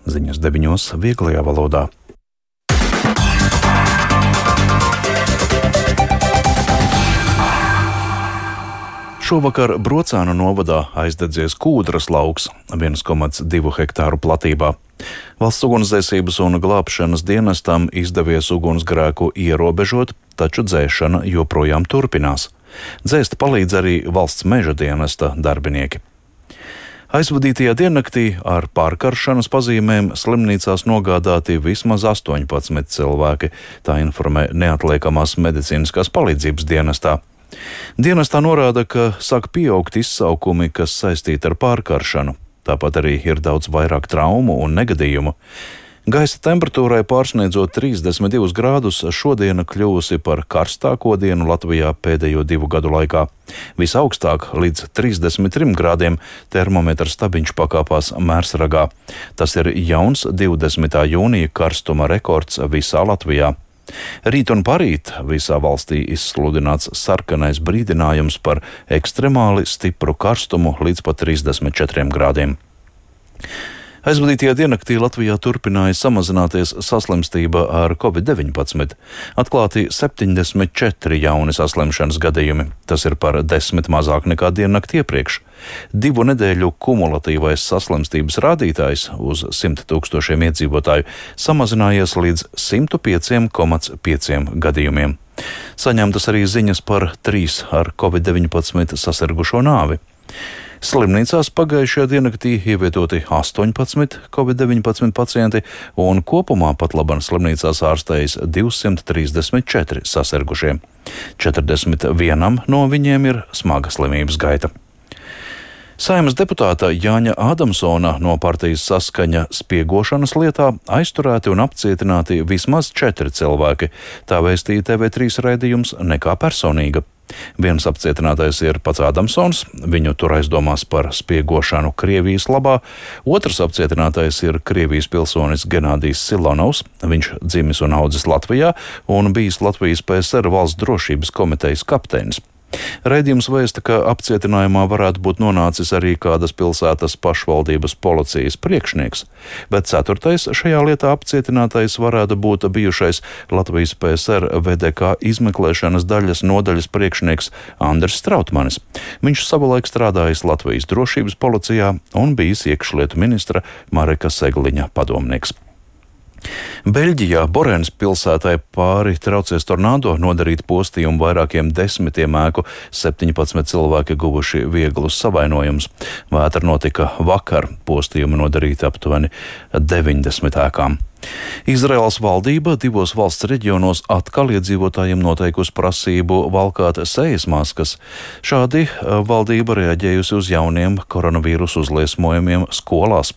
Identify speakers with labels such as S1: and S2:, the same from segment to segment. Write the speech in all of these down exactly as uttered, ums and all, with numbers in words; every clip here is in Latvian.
S1: Ziņas deviņos vieglajā valodā. Šovakar Brocānu novadā aizdedzies Kūdras lauks viens komats divi hektāru platībā. Valsts ugunsdzēsības un glābšanas dienestam izdevies ugunsgrēku ierobežot, taču dzēšana joprojām turpinās. Dzēst palīdz arī valsts meža dienesta darbinieki. Aizvadītajā diennaktī ar pārkaršanas pazīmēm slimnīcās nogādāti vismaz astoņpadsmit cilvēki, tā informē neatliekamās medicīniskās palīdzības dienestā. Dienestā norāda, ka sāk pieaugt izsaukumi, kas saistīti ar pārkaršanu. Tāpat arī ir daudz vairāk traumu un negadījumu. Gaisa temperatūrai pārsniedzot trīsdesmit divus grādus, šodiena kļuvusi par karstāko dienu Latvijā pēdējo divu gadu laikā. Visaugstāk līdz trīsdesmit trim grādiem termometra stabiņš pakāpās Mērsragā. Tas ir jauns divdesmitā jūnija karstuma rekords visā Latvijā. Rīt un parīt visā valstī izsludināts sarkanais brīdinājums par ekstremāli stipru karstumu līdz pat trīsdesmit četriem grādiem. Aizvadītajā diennaktī Latvijā turpināja samazināties saslimstība ar covid deviņpadsmit. Atklāti septiņdesmit četri jauni saslimšanas gadījumi. Tas ir par desmit mazāk nekā diennakti iepriekš. Divu nedēļu kumulatīvais saslimstības rādītājs uz simt tūkstošiem iedzīvotāju samazinājies līdz simt pieci komats pieci gadījumiem. Saņemtas arī ziņas par trīs ar covid deviņpadsmit sasirgušo nāvi. Slimnīcās pagājušajā diennaktī ievietoti astoņpadsmit covid deviņpadsmit pacienti un kopumā pat laban slimnīcās ārstējas divsimt trīsdesmit četri sasirgušie. četrdesmit vienam no viņiem ir smaga slimības gaita. Saeimas deputāta Jāņa Ādamsona no partijas Saskaņa spiegošanas lietā aizturēti un apcietināti vismaz četri cilvēki. Tā vēstīja T V trīs raidījums Nekā personīga. Viens apcietinātais ir pats Ādamsons, viņu tur aizdomās par spiegošanu Krievijas labā. Otrs apcietinātais ir Krievijas pilsonis Genādijs Silonovs. Viņš dzimis un audzis Latvijā un bijis Latvijas P S R valsts drošības komitejas kapteinis. Raidījums vēsta, ka apcietinājumā varētu būt nonācis arī kādas pilsētas pašvaldības policijas priekšnieks, bet ceturtais šajā lietā apcietinātais varētu būt bijušais Latvijas P S R V D K izmeklēšanas daļas nodaļas priekšnieks Andris Strautmanis. Viņš savulaik strādājis Latvijas drošības policijā un bijis iekšlietu ministra Mareka Segliņa padomnieks. Beļģijā Borēnas pilsētai pāri traucies tornado, nodarīt postījumu vairākiem desmitiem ēku, septiņpadsmit cilvēki guvuši vieglus savainojumus. Vētra notika vakar, postījumu nodarīti aptuveni deviņdesmit ēkām. Izraēlas valdība divos valsts reģionos atkal iedzīvotājiem noteikusi prasību valkāt sejas maskas. Šādi valdība reaģējusi uz jauniem koronavīrusu uzliesmojumiem skolās.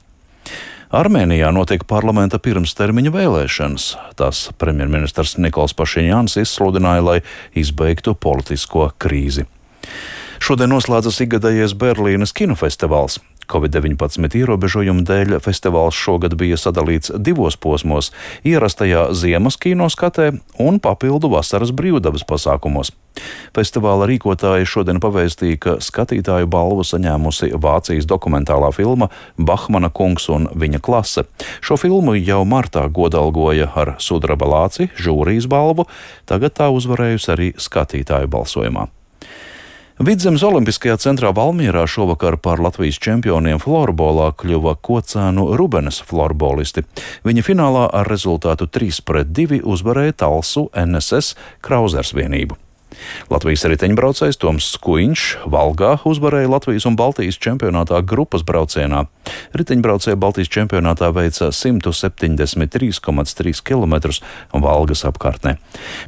S1: Armēnijā notiek parlamenta pirmstermiņa vēlēšanas. Tās premjerministrs Nikols Pašiņjāns izsludināja, lai izbeigtu politisko krīzi. Šodien noslēdzas ikgadējais Berlīnes kinofestivāls. covid deviņpadsmit ierobežojumu dēļ festivāls šogad bija sadalīts divos posmos - ierastajā ziemas kinoskatē un papildu vasaras brīvdabas pasākumos. Festivāla rīkotāji šodien pavēstīja, ka skatītāju balvu saņēmusi Vācijas dokumentālā filma Bahmana kungs un viņa klase. Šo filmu jau martā godalgoja ar sudraba lāci, žūrijas balvu, tagad tā uzvarējusi arī skatītāju balsojumā. Vidzemes Olimpiskajā centrā Valmierā šovakar par Latvijas čempioniem florbolā kļuva Kocēnu Rubenes florbolisti. Viņi finālā ar rezultātu trīs pret divi uzvarēja Talsu N S S Krauzers vienību. Latvijas riteņbraucējs Toms Skuiņš Valgā uzvarēja Latvijas un Baltijas čempionātā grupas braucienā. Riteņbraucēji Baltijas čempionātā veica simt septiņdesmit trīs komats trīs kilometrus Valgas apkārtnē.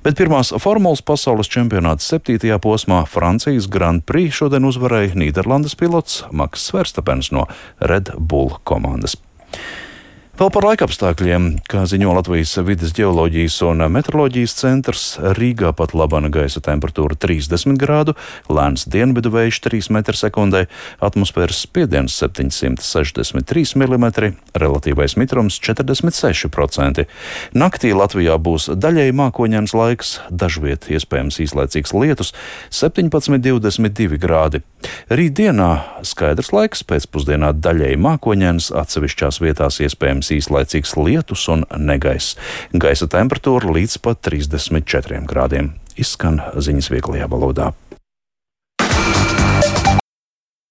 S1: Bet pirmās formulas pasaules čempionāta septītajā posmā Francijas Grand Prix šodien uzvarēja Nīderlandes pilots Maks Verstapens no Red Bull komandas. Vēl par laikapstākļiem, kā ziņo Latvijas vides ģeoloģijas un meteoroloģijas centrs, Rīgā pat labana gaisa temperatūra trīsdesmit grādu, lēns dienvidu vējš trīs metri sekundē, atmosfēras spiediens septiņsimt sešdesmit trīs milimetri, relatīvais mitrums četrdesmit seši procenti. Naktī Latvijā būs daļēji mākoņains laiks, dažviet iespējams īslaicīgs lietus, septiņpadsmit divdesmit divi grādi. Rītdienā skaidrs laiks, pēcpusdienā daļēji mākoņains, atsevišķās vietās iespējams gaidāms īslaicīgs lietus un negaiss. Gaisa temperatūra līdz pat trīsdesmit četriem grādiem. Izskan ziņas vieglajā valodā.